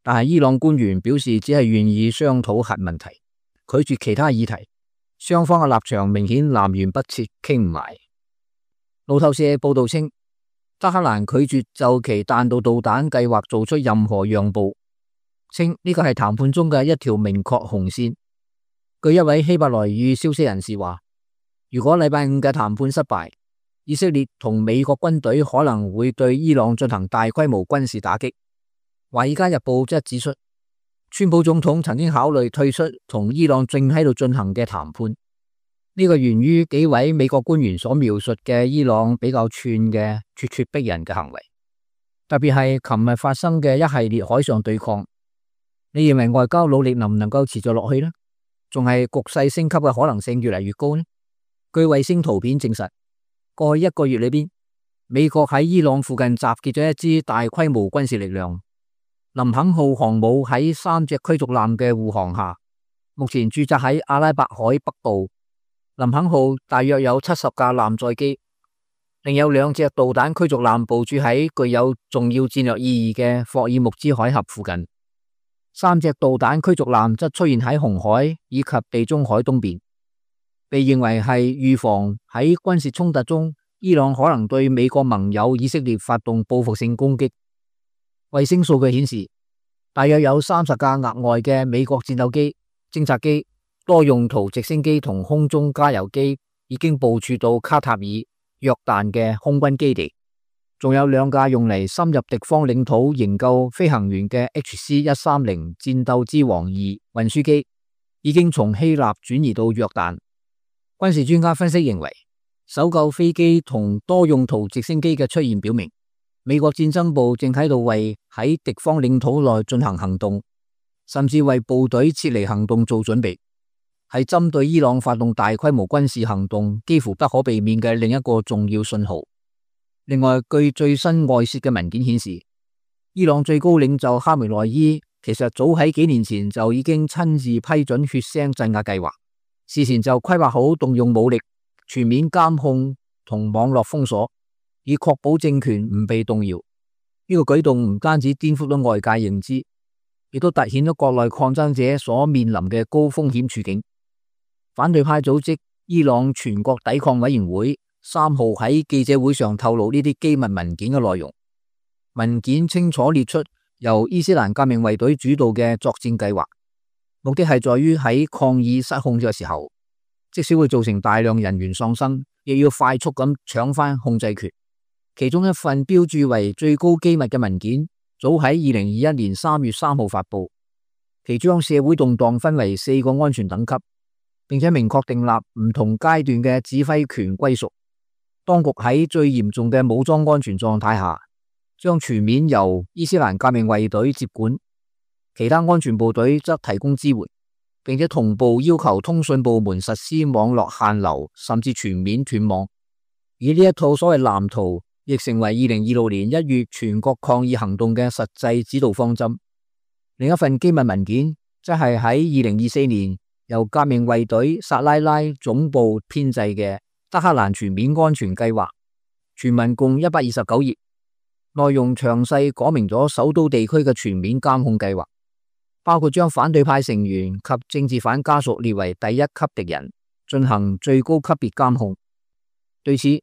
但係伊朗官員表示只係願意商討核問題，拒絕其他議題。雙方嘅立場明顯南轅北轍，傾唔埋。路透社報道稱，德黑蘭拒絕就其彈道導彈計劃做出任何讓步，稱呢個係談判中嘅一條明確紅線。據一位希伯來語消息人士話，如果禮拜五嘅談判失敗，以色列同美國軍隊可能會對伊朗進行大規模軍事打擊。華爾街日報則指出，川普總統曾經考慮退出同伊朗正喺度進行嘅談判。呢個源於幾位美國官員所描述嘅伊朗比較串嘅咄咄逼人嘅行為，特別係琴日發生嘅一系列海上對抗。你認為外交努力能唔能夠持續落去呢？仲係局勢升級嘅可能性越嚟越高呢？據衛星圖片證實，過去一個月裏邊，美國喺伊朗附近集結咗一支大規模軍事力量。林肯號航母喺3隻驅逐艦嘅護航下，目前駐紮喺阿拉伯海北部。林肯號大約有70架艦載機，另有2隻導彈驅逐艦部署喺具有重要戰略意義嘅霍爾木茲海峽附近。3隻導彈驅逐艦則出現喺紅海以及地中海東邊，被認為係預防喺軍事衝突中伊朗可能對美國盟友以色列發動報復性攻擊。衛星數據顯示，大約有30架額外嘅美國戰鬥機、偵察機、多用途直升機同空中加油機已經部署到卡塔爾、約旦嘅空軍基地，仲有2架用嚟深入敵方領土營救飛行員嘅 HC-130戰鬥之王2運輸機已經從希臘轉移到約旦。軍事專家分析認為，搜救飛機同多用途直升機嘅出現表明，美國戰爭部正喺度為喺敵方領土內進行行動，甚至為部隊撤離行動做準備，係針對伊朗發動大規模軍事行動幾乎不可避免嘅另一個重要信號。另外，據最新外泄嘅文件顯示，伊朗最高領袖哈梅內伊其實早喺幾年前就已經親自批准血腥鎮壓計劃，事前就規劃好動用武力、全面監控同網絡封鎖，以確保政權唔被動搖。呢個舉動唔單止顛覆咗外界認知，亦都凸顯咗國內抗爭者所面臨嘅高風險處境。反對派組織伊朗全國抵抗委員會3號喺記者會上透露呢啲機密文件嘅內容。文件清楚列出由伊斯蘭革命衛隊主導嘅作戰計劃，目的係在於喺抗議失控嘅時候，即使會造成大量人員喪生，亦要快速咁搶翻控制權。其中一份標註為最高機密嘅文件，早喺2021年3月3號發佈，其將社會動盪分為4個安全等級，並且明確訂立唔同階段嘅指揮權歸屬。當局喺最嚴重嘅武裝安全狀態下，將全面由伊斯蘭革命衛隊接管，其他安全部隊則提供支援，並且同步要求通訊部門實施網絡限流，甚至全面斷網。而呢一套所謂藍圖，亦成為2026年1月全國抗議行動嘅實際指導方針。另一份機密文件，則係喺2024年由革命衛隊薩拉拉總部編製嘅德黑蘭全面安全計劃，全文共129頁，內容詳細講明咗首都地區嘅全面監控計劃，包括將反對派成員及政治犯家屬列為第1級敵人，進行最高級別監控。對此，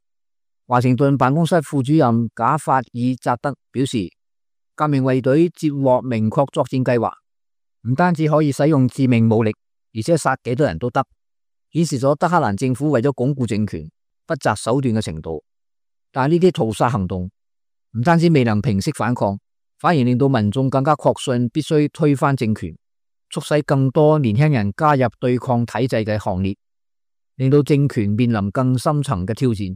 華盛頓辦公室副主任賈法爾扎德表示，革命衛隊接獲明確作戰計劃，唔單止可以使用致命武力，而且殺幾多人都得，顯示咗德黑蘭政府為咗鞏固政權不擇手段嘅程度。但係呢啲屠殺行動唔單止未能平息反抗，反而令到民眾更加確信必須推翻政權，促使更多年輕人加入對抗體制嘅行列，令到政權面臨更深層嘅挑戰。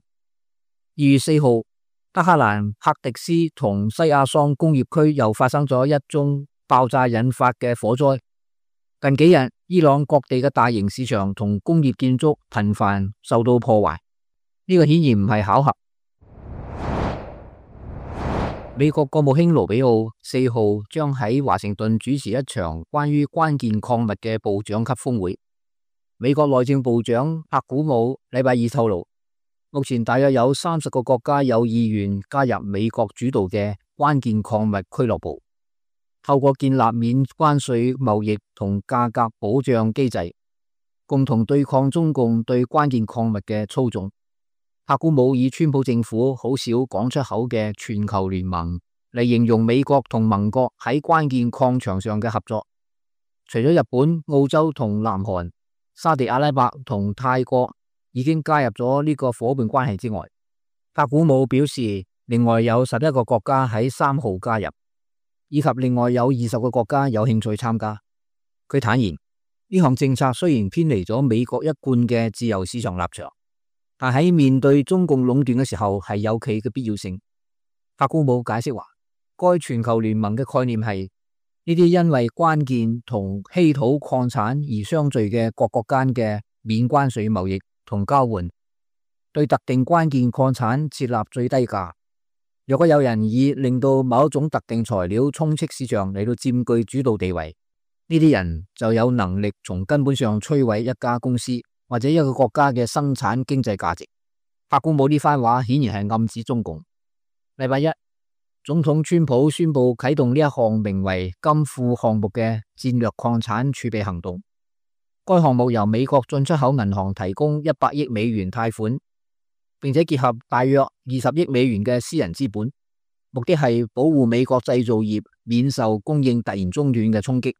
2月4號，德黑蘭赫迪斯同西亞桑工業區又發生咗一宗爆炸引發嘅火災。近幾日，伊朗各地嘅大型市場同工業建築頻繁受到破壞，呢個顯然唔係巧合。美國國務卿盧比奧4號將喺華盛頓主持一場關於關鍵礦物嘅部長級峰會。美國內政部長帕古姆禮拜二透露，目前大約有30個國家有意願加入美國主導嘅關鍵礦物俱樂部，透過建立免關稅貿易同價格保障機制，共同對抗中共對關鍵礦物嘅操縱。帕古姆以川普政府好少講出口嘅全球聯盟嚟形容美國同盟國喺關鍵礦場上嘅合作。除咗日本、澳洲同南韓、沙地阿拉伯同泰國已經加入咗呢個夥伴關係之外，帕古姆表示另外有11個國家喺3號加入，以及另外有20個國家有興趣參加。佢坦言，呢項政策雖然偏離咗美國一貫嘅自由市場立場，但喺面對中共壟斷嘅時候係有其嘅必要性。帕古姆解釋話，該全球聯盟嘅概念係呢啲因為關鍵同稀土礦產而相聚嘅各國間嘅免關稅貿易同交換，對特定關鍵礦產設立最低價。若果有人以令到某一種特定材料充斥市場嚟到佔據主導地位，呢啲人就有能力從根本上摧毀一家公司或者一個國家嘅生產經濟價值。帕古姆呢番話顯然係暗指中共。禮拜一，總統川普宣布啟動呢一項名為金庫項目嘅戰略礦產儲備行動。該項目由美國進出口銀行提供100億美元貸款，並且結合大約20億美元嘅私人資本，目的係保護美國製造業免受供應突然中斷嘅衝擊。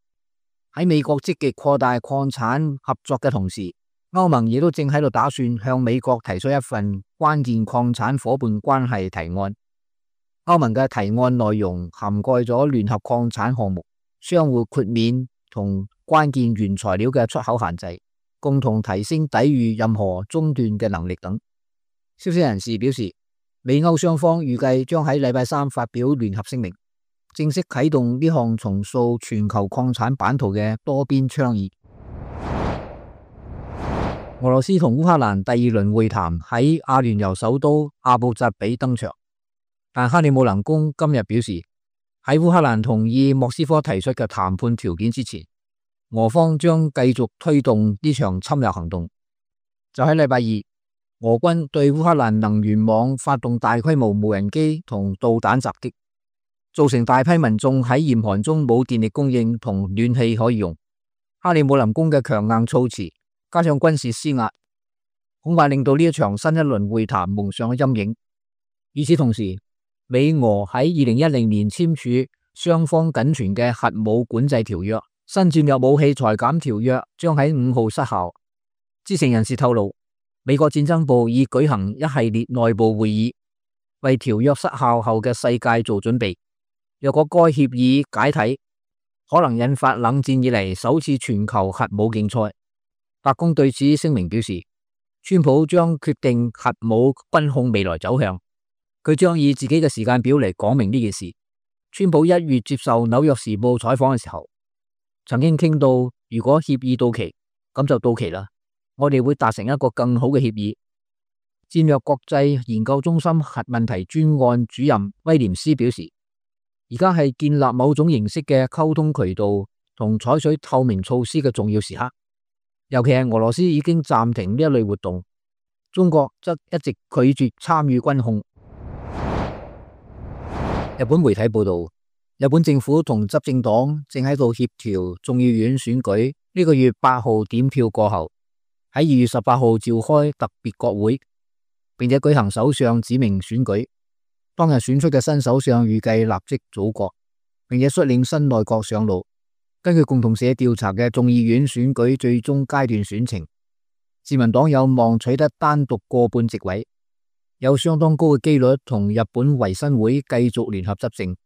喺美國積極擴大礦產合作嘅同時，歐盟亦都正喺度打算向美國提出一份關鍵礦產夥伴關係提案。歐盟嘅提案內容涵蓋咗聯合礦產項目、相互豁免同關鍵原材料嘅出口限制，共同提升抵禦任何中斷嘅能力等。消息人士表示，美歐雙方預計將喺禮拜三發表聯合聲明，正式啟動呢項重塑全球礦產版圖嘅多邊倡議。俄羅斯同烏克蘭第2輪會談喺阿聯酋首都阿布扎比登場，但克里姆林宮今日表示，喺烏克蘭同意莫斯科提出嘅談判條件之前，俄方將繼續推動呢場侵略行動。就喺禮拜二，俄軍對烏克蘭能源網發動大規模無人機同導彈襲擊，造成大批民眾喺嚴寒中冇電力供應同暖氣可以用。克里姆林宮嘅強硬措辭加上軍事施壓，恐怕令到呢一場新一輪會談蒙上咗陰影。與此同時，美俄喺2010年簽署雙方僅存嘅核武管制條約，新戰略武器裁減條約將喺5號失效。知情人士透露，美國戰爭部已舉行一系列內部會議，為條約失效後嘅世界做準備。若果該協議解體，可能引發冷戰以嚟首次全球核武競賽。白宮對此聲明表示，川普將決定核武軍控未來走向，佢將以自己嘅時間表嚟講明呢件事。川普1月接受紐約時報採訪嘅時候，曾經傾到如果協議到期，咁就到期啦，我哋會達成一個更好嘅協議。戰略國際研究中心核問題專案主任威廉斯表示，而家係建立某種形式嘅溝通渠道同採取透明措施嘅重要時刻。尤其係俄羅斯已經暫停呢一類活動，中國則一直拒絕參與軍控。日本媒體報道，日本政府同執政黨正喺度協調眾議院選舉，呢個月8號點票過後，喺2月18號召開特別國會，並且舉行首相指名選舉。當日選出嘅新首相預計立即組閣，並且率領新內閣上路。根據共同社調查嘅眾議院選舉最終階段選情，自民黨有望取得單獨過半席位，有相當高嘅機率同日本維新會繼續聯合執政。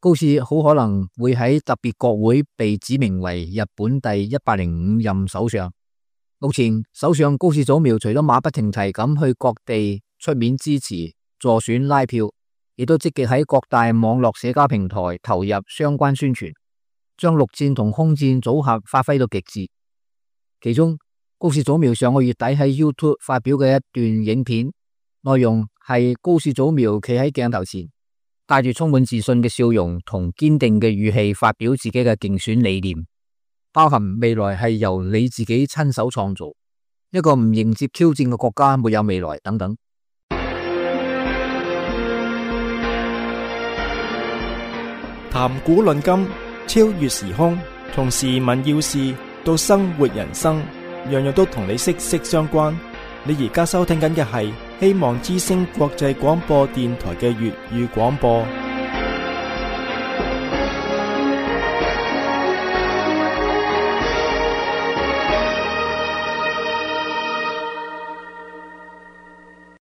高市好可能會喺特別國會被指名為日本第105任首相。目前首相高市早苗除咗馬不停蹄咁去各地出面支持助選拉票，亦都積極喺各大網絡社交平台投入相關宣傳，將陸戰同空戰組合發揮到極致。其中，高市早苗上個月底喺 YouTube 發表嘅一段影片，內容係高市早苗企喺鏡頭前，帶住充滿自信嘅笑容同堅定嘅語氣發表自己嘅競選理念，包含未來係由你自己親手創造，一個唔迎接挑戰嘅國家沒有未來等等。談古論今，超越時空，從時聞要事到生活人生，樣樣都同你息息相關。你而家收聽緊嘅係希望之聲國際廣播電台嘅粵語廣播。